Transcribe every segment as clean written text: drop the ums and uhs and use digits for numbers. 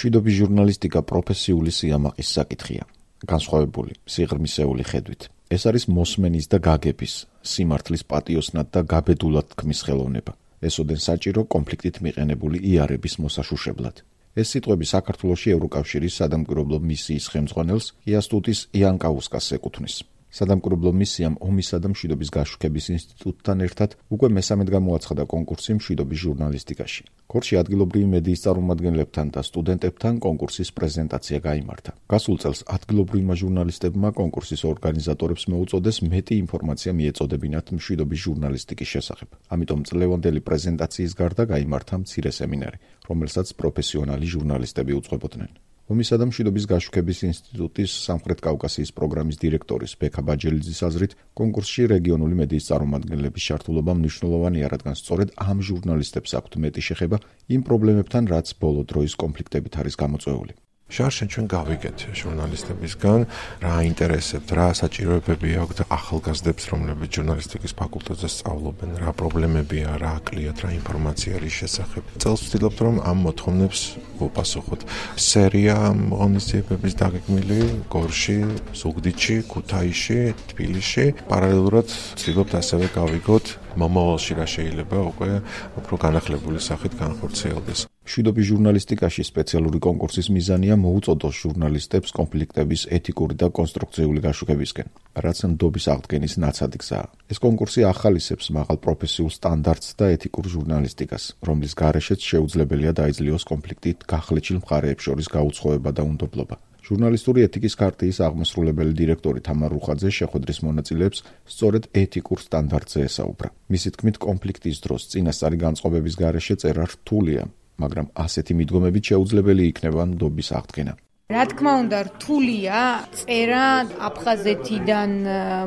მშვიდობის ჟურნალისტიკა პროფესიული სიამაყის საკითხია, განსხვავებული, სიღრმისეული ხედვით. ეს არის მოსმენის და გაგების, სიმართლის პატიოსნად და გაბედულად თქმის ხელოვნება. ესოდენ საჭირო კონფლიქტით მიყენებული იარების მოსაშუშებლად. ეს სიტყვები საქართველოში ევროკავშირის სადამკვირვებლო მისიის ხელმძღვანელს იასტუტის იანკაუსკას ეკუთვნის. სადამკვირვებლო მისიამ ომისა და მშვიდობის გაშუქების ინსტიტუტთან ერთად უკვე მესამედ გამოაცხადა კონკურსი მშვიდობის ჟურნალისტიკაში. ქორში ადგილობრივი მედიის წარმომადგენლებთან და სტუდენტებთან კონკურსის პრეზენტაცია გაიმართა. გასულ წელს ადგილობრივმა ჟურნალისტებმა კონკურსის ორგანიზატორებს მოუწოდეს მეტი ინფორმაცია მიეწოდებინათ მშვიდობის ჟურნალისტიკის შესახებ. ამიტომ წლევანდელი პრეზენტაციის გარდა გაიმართა მცირე სემინარი, რომელსაც პროფესიონალი ჟურნალისტები უძღვებოდნენ. ომისა და მშვიდობის გაშუქების ინსტიტუტის სამხრეთ კავკასიის პროგრამის დირექტორის ბექა ბაჯელიძის აზრით, კონკურსში რეგიონული მედიის წარმომადგენლების ჩართულობა მნიშვნელოვანია, რადგან სწორედ ამ ჟურნალისტებს აქვთ მეტი შეხება იმ პრობლემებთან, რაც ბოლო დროის კონფლიქტებით არის გამოწვეული. შარშენ ჩვენ გავიგეთ ჟურნალისტებისგან, რა აინტერესებთ, რა საჭიროებები აქვთ ახალგაზრდებს, რომლებიც ჟურნალისტიკის ფაკულტეტზე სწავლობენ, რა პრობლემებია, რა აკლიათ, რა ინფორმაცია არის შესახებ. წელს ვცდილობთ, რომ ამ მოთხოვნებს ვუპასუხოთ. სერია ღონისძიებების დაგეგმილი გორში, ზუგდიდში, ქუთაისში, თბილისში. პარალელურად ვცდილობთ ასევე გავიგოთ მომავალში რა შეიძლება უკვე უფრო განახლებული სახით განხორციელდეს. მშვიდობის ჟურნალისტიკაში სპეციალური კონკურსის მიზანია მოუწოდოს ჟურნალისტებს კონფლიქტების ეთიკური და კონსტრუქციული გაშუქებისკენ, რაც ნდობის აღდგენის ნაცადი გზაა. ეს კონკურსი ახალისებს მაღალ პროფესიულ სტანდარტს და ეთიკურ ჟურნალისტიკას, რომლის გარეშეც შეუძლებელია დაიძლიოს კონფლიქტით გახლეჩილ მხარეებს შორის გაუცხოება და უნდობლობა. ჟურნალისტური ეთიკის ქარტიის აღმასრულებელი დირექტორი თამარ რუხაძე შეხვედრის მონაწილეებს სწორედ ეთიკურ სტანდარტზე ესაუბრა. მისი თქმით, კონფლიქტის დროს წინასწარი განწყობების გარეშე წერა რთულია, მაგრამ ასეთი მიდგომებით შეუძლებელი იქნება ნდობის აღდგენა. რა თქმა უნდა, რთულია წერა აფხაზეთიდან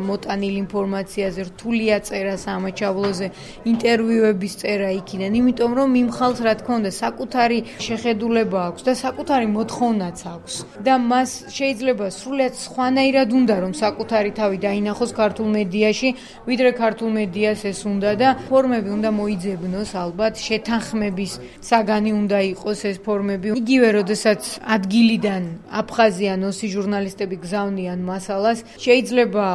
მოტანილ ინფორმაციაზე, რთულია წერა სამაჩაბლოზე, ინტერვიუების წერა იქიდან, იმიტომ რომ იმ ხალხს რა თქმა უნდა საკუთარი შეხედულება აქვს და საკუთარი მოთხოვნაც აქვს და მას შეიძლება სრულიად სხვანაირად უნდა რომ საკუთარი თავი დაინახოს ქართულ მედიაში, ვიდრე ქართულ მედიას ეს უნდა და ფორმები უნდა მოიძებნოს ალბათ, შეთანხმების საგანი უნდა იყოს ეს ფორმები. იგივე როდესაც ადგილიდან აფხაზიან ოსი ჟურნალისტები გზავნიან მასალას, შეიძლება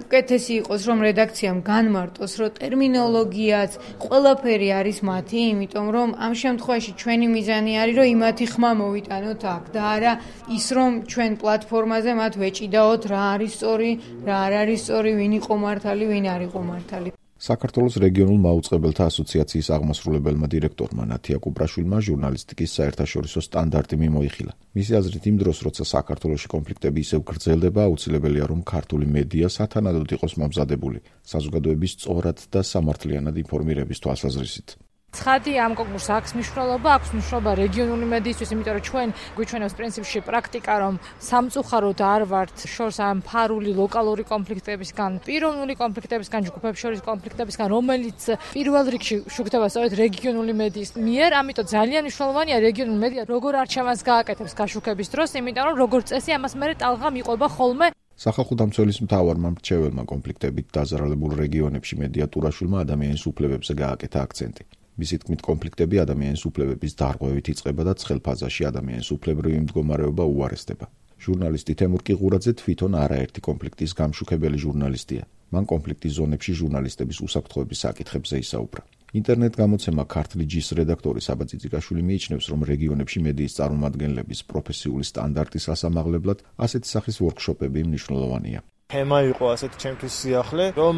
უკეთესი იყოს, რომ რედაქციამ განმარტოს, რომ ტერმინოლოგიაც, ყველაფერი არის მათი, იმიტომ რომ ამ შემთხვევაში ჩვენი მიზანი არის, რომ იმათი ხმა მოვიტანოთ აქ და არა ის, რომ ჩვენ პლატფორმაზე მათ ვეჭიდაოთ, რა არის სწორი, რა არ არის სწორი, ვინ იყო მართალი, ვინ არ იყო მართალი. საქართველოს რეგიონულ მაუწყებელთა ასოციაციის აღმასრულებელმა დირექტორმა ნათია კუპრაშვილმა ჟურნალისტიკის საერთაშორისო სტანდარტი მიმოიხილა. მისი აზრით, იმ დროს, როცა საქართველოში კონფლიქტები ისევ გრძელდება, აუცილებელია, რომ ქართული მედია სათანადოდ იყოს მომზადებული საზოგადოების სწორად და სამართლიანად ინფორმირების თვალსაზრისით. ცხადი ამ კონკურსს აქვს მნიშვნელობა, აქვს მნიშვნელობა რეგიონული მედიისთვის, იმიტომ რომ ჩვენ გვიჩვენებს პრინციპში პრაქტიკა, რომ სამწუხაროდ არ ვართ შორს ამ ფარული ლოკალური კონფლიქტებისგან, პიროვნული კონფლიქტებისგან, ჯგუფებს შორის კონფლიქტებისგან, რომელიც პირველ რიგში შუქდება სწორედ რეგიონული მედიის მიერ, ამიტომ ძალიან მნიშვნელოვანია რეგიონული მედია როგორ არჩევანს გააკეთებს გაშუქების დროს, იმიტომ რომ როგორც წესი ამას მერე ტალღა მიყვება ხოლმე. სახალხო დამცველის მთავარმა მრჩეველმა კონფლიქტებით დაზარალებულ რეგიონებში მედიატურაშვილმა ადამიანის უფლებებზე გააკეთა აქცენტი. მისი თქმით, კონფლიქტები ადამიანის უფლებების დარღვევით იწყება და ცხელ ფაზაში ადამიანის უფლებრივი მდგომარეობა უარესდება. ჟურნალისტი თემურ კიღურაძე თვითონ არაერთი კონფლიქტის გამშუქებელი ჟურნალისტია. მან კონფლიქტის ზონებში ჟურნალისტების უსაფრთხოების საკითხებზე ისაუბრა. ინტერნეტ გამოცემა ქართული ჯის რედაქტორი საბა წიწიკაშვილი მიიჩნევს, რომ რეგიონებში მედიის წარმომადგენლების პროფესიული სტანდარტის ასამაღლებლად ასეთი სახის ვორქშოპები მნიშვნელოვანია. თემა იყო ასეთ ჩემთვის სიახლე, რომ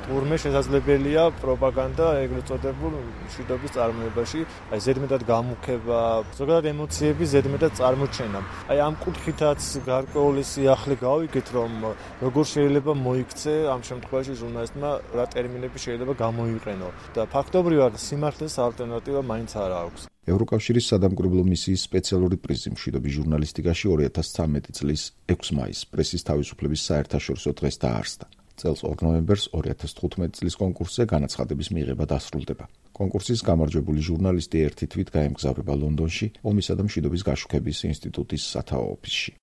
თურმე შესაძლებელია პროპაგანდა ეგრეთ წოდებულ მშვიდობის წარმოებაში, აი ზედმეტად გამუქება, ზოგადად ემოციების ზედმეტად წარმოჩენა. აი ამ კუთხითაც გარკვეული სიახლე გავიგეთ, რომ როგორ შეიძლება მოიქცე ამ შემთხვევაში ჟურნალისტმა რა ტერმინები შეიძლება გამოიყენო და ფაქტობრივად სიმართლეს ალტერნატივა მაინც არ აქვს. ევროკავშირის სადამკვირვებლო მისიის სპეციალური პრიზი მშვიდობის ჟურნალისტიკაში 2013 წლის 6 მაისს პრესის თავისუფლების საერთაშორისო დღეს დაარსდა. წელს 2 ნოემბერს 2015 წლის კონკურსზე განაცხადების მიღება დასრულდება. კონკურსის გამარჯვებული ჟურნალისტი ერთი თვით გაემგზავრება ლონდონში ომისა და მშვიდობის გაშუქების ინსტიტუტის სათაო ოფისში.